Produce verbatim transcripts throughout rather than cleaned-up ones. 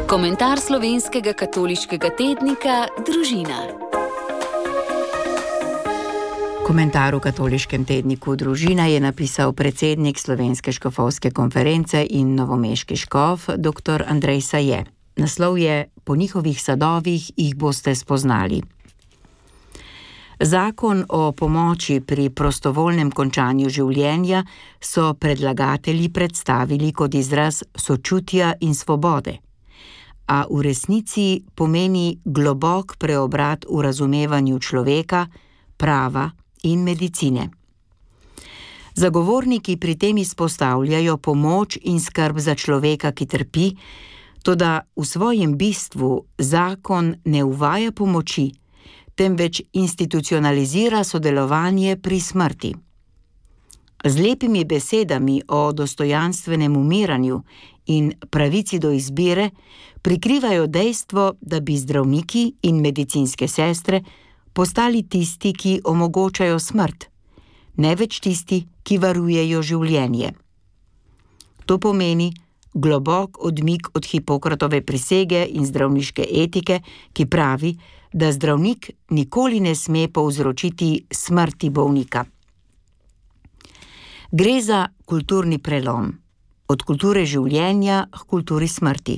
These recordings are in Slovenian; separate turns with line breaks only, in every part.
Komentar slovenskega katoliškega tednika Družina. Komentar v katoliškem tedniku Družina je napisal predsednik Slovenske škofovske konference in novomeški škof dr. Andrej Saje. Naslov je: Po njihovih sadovih jih boste spoznali. Zakon o pomoči pri prostovoljnem končanju življenja so predlagatelji predstavili kot izraz sočutja in svobode, a v resnici pomeni globok preobrat v razumevanju človeka, prava in medicine. Zagovorniki pri tem izpostavljajo pomoč in skrb za človeka, ki trpi, toda v svojem bistvu zakon ne uvaja pomoči, temveč institucionalizira sodelovanje pri smrti. Z lepimi besedami o dostojanstvenem umiranju in pravici do izbire prikrivajo dejstvo, da bi zdravniki in medicinske sestre postali tisti, ki omogočajo smrt, ne več tisti, ki varujejo življenje. To pomeni globok odmik od Hipokratove prisege in zdravniške etike, ki pravi, da zdravnik nikoli ne sme povzročiti smrti bolnika. Gre za kulturni prelom, od kulture življenja k kulturi smrti.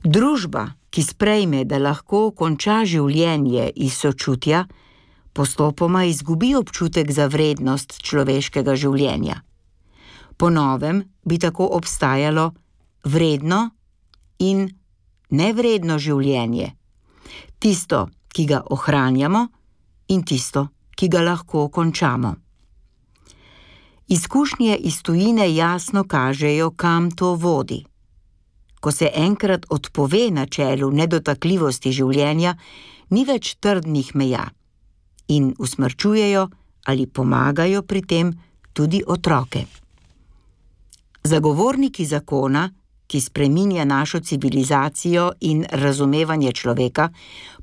Družba, ki sprejme, da lahko konča življenje iz sočutja, postopoma izgubi občutek za vrednost človeškega življenja. Po novem bi tako obstajalo vredno in nevredno življenje, tisto, ki ga ohranjamo, in tisto, ki ga lahko končamo. Izkušnje iz tujine jasno kažejo, kam to vodi. Ko se enkrat odpove načelu nedotakljivosti življenja, ni več trdnih meja in usmrčujejo ali pomagajo pri tem tudi otroke. Zagovorniki zakona, ki spreminja našo civilizacijo in razumevanje človeka,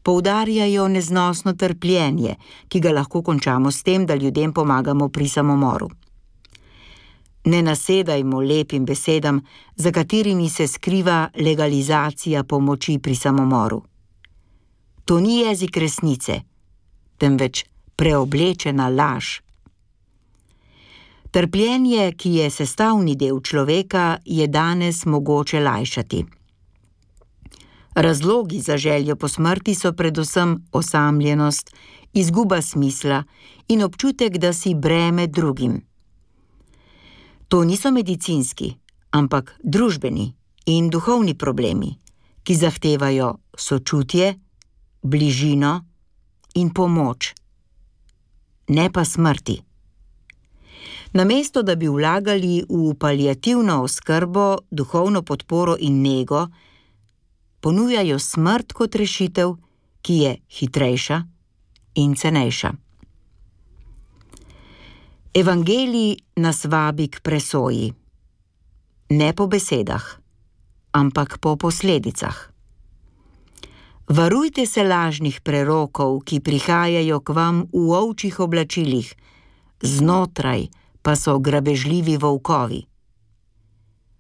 poudarjajo neznosno trpljenje, ki ga lahko končamo s tem, da ljudem pomagamo pri samomoru. Ne nasedajmo lepim besedam, za katerimi se skriva legalizacija pomoči pri samomoru. To ni jezik resnice, temveč preoblečena laž. Trpljenje, ki je sestavni del človeka, je danes mogoče lajšati. Razlogi za željo po smrti so predvsem osamljenost, izguba smisla in občutek, da si breme drugim. To niso medicinski, ampak družbeni in duhovni problemi, ki zahtevajo sočutje, bližino in pomoč, ne pa smrti. Namesto da bi vlagali v paliativno oskrbo, duhovno podporo in nego, ponujajo smrt kot rešitev, ki je hitrejša in cenejša. Evangelij nas vabi k presoji, ne po besedah, ampak po posledicah. Varujte se lažnih prerokov, ki prihajajo k vam v ovčjih oblačilih, znotraj pa so grabežljivi volkovi.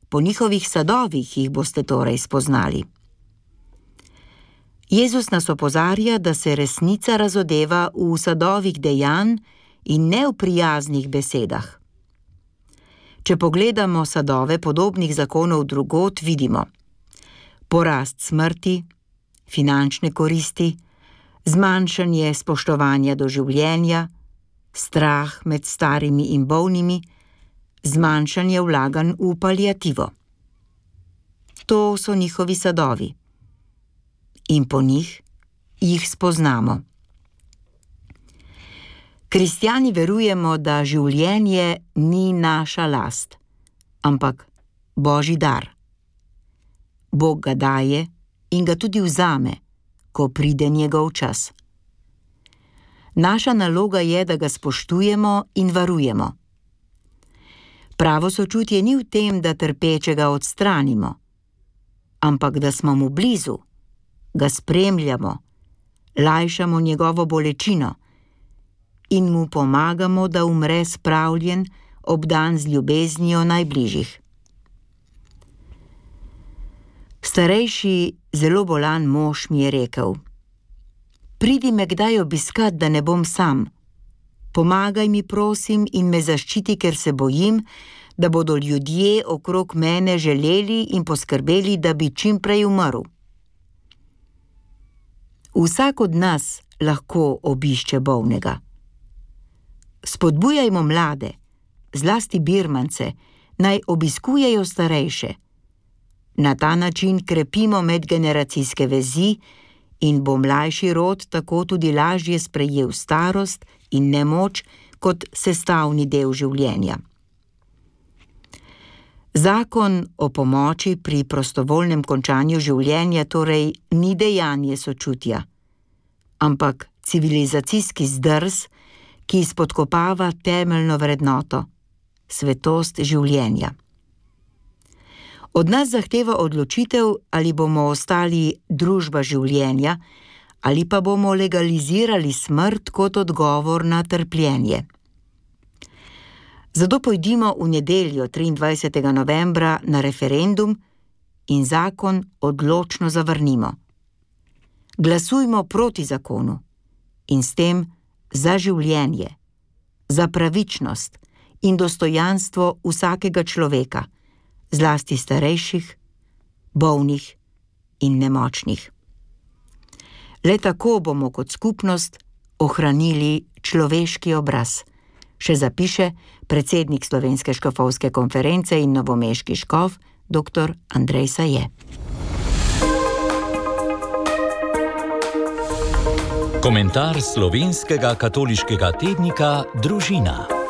Po njihovih sadovih jih boste torej spoznali. Jezus nas opozarja, da se resnica razodeva v sadovih dejanj in ne v prijaznih besedah. Če pogledamo sadove podobnih zakonov drugod, vidimo porast smrti, finančne koristi, zmanjšanje spoštovanja do življenja, strah med starimi in bolnimi, zmanjšanje vlaganj v paliativo. To so njihovi sadovi. In po njih jih spoznamo. Kristjani verujemo, da življenje ni naša last, ampak Božji dar. Bog ga daje in ga tudi vzame, ko pride njegov čas. Naša naloga je, da ga spoštujemo in varujemo. Pravo sočutje ni v tem, da trpečega odstranimo, ampak da smo mu blizu, ga spremljamo, lajšamo njegovo bolečino in mu pomagamo, da umre spravljen, obdan z ljubeznijo najbližjih. Starejši, zelo bolan mož mi je rekel: "Pridi me kdaj obiskat, da ne bom sam. Pomagaj mi, prosim, in me zaščiti, ker se bojim, da bodo ljudje okrog mene želeli in poskrbeli, da bi čim prej umrl." Vsak od nas lahko obišče bolnega. Spodbujajmo mlade, zlasti birmance, naj obiskujejo starejše. Na ta način krepimo medgeneracijske vezi in bo mlajši rod tako tudi lažje sprejel starost in nemoč kot sestavni del življenja. Zakon o pomoči pri prostovoljnem končanju življenja torej ni dejanje sočutja, ampak civilizacijski zdrs, ki spodkopava temeljno vrednoto, svetost življenja. Od nas zahteva odločitev, ali bomo ostali družba življenja ali pa bomo legalizirali smrt kot odgovor na trpljenje. Zato pojdimo v nedeljo triindvajsetega novembra na referendum in zakon odločno zavrnimo. Glasujmo proti zakonu in s tem za življenje, za pravičnost in dostojanstvo vsakega človeka, zlasti starejših, bolnih in nemočnih. Le tako bomo kot skupnost ohranili človeški obraz, še zapiše predsednik Slovenske škofovske konference in novomeški škof dr. Andrej Saje.
Komentar slovenskega katoliškega tednika Družina.